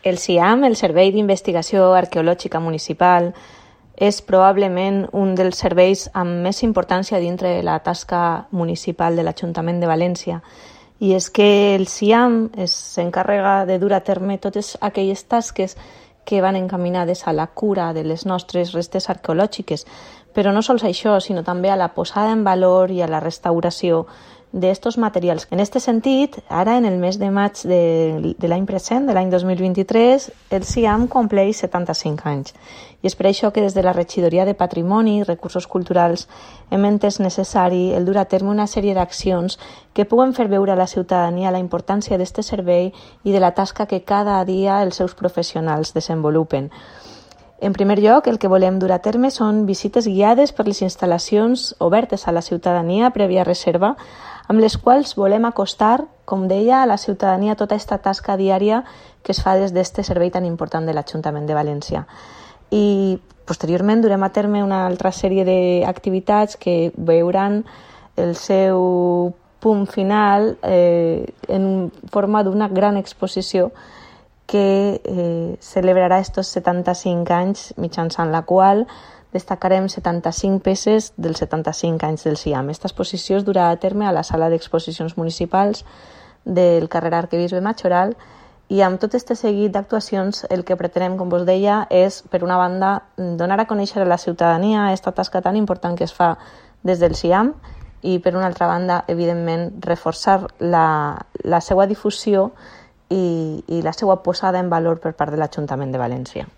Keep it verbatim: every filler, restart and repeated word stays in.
El SIAM, el Servei d'Investigació Arqueològica Municipal, és probablement un dels serveis amb més importància dintre de la tasca municipal de l'Ajuntament de València. I és que el SIAM s'encarrega de dur a terme totes aquelles tasques que van encaminades a la cura de les nostres restes arqueològiques, però no sols això, sinó també a la posada en valor i a la restauració d'estos materials. En aquest sentit, ara en el mes de maig de, de l'any present, de l'any dos mil vint-i-tres, el SIAM compleix setanta-cinc anys. I és per això que des de la Regidoria de Patrimoni i Recursos Culturals hem entès necessari el dur a terme una sèrie d'accions que puguen fer veure a la ciutadania la importància d'aquest servei i de la tasca que cada dia els seus professionals desenvolupen. En primer lloc, el que volem dur a terme són visites guiades per les instal·lacions obertes a la ciutadania prèvia reserva, amb les quals volem acostar, com deia, a la ciutadania tota aquesta tasca diària que es fa des d'aquest servei tan important de l'Ajuntament de València. I posteriorment durem a terme una altra sèrie d'activitats que veuran el seu punt final eh, en forma d'una gran exposició que eh, celebrarà estos setanta-cinc anys, mitjançant la qual destacarem setanta-cinc peces dels setanta-cinc anys del SIAM. Aquesta exposició es durà a terme a la sala d'exposicions municipals del carrer Arquebisbe Majoral i amb tot aquest seguit d'actuacions el que pretenem, com vos deia, és, per una banda, donar a conèixer a la ciutadania aquesta tasca tan important que es fa des del SIAM i, per una altra banda, evidentment, reforçar la, la seva difusió i, i la seva posada en valor per part de l'Ajuntament de València.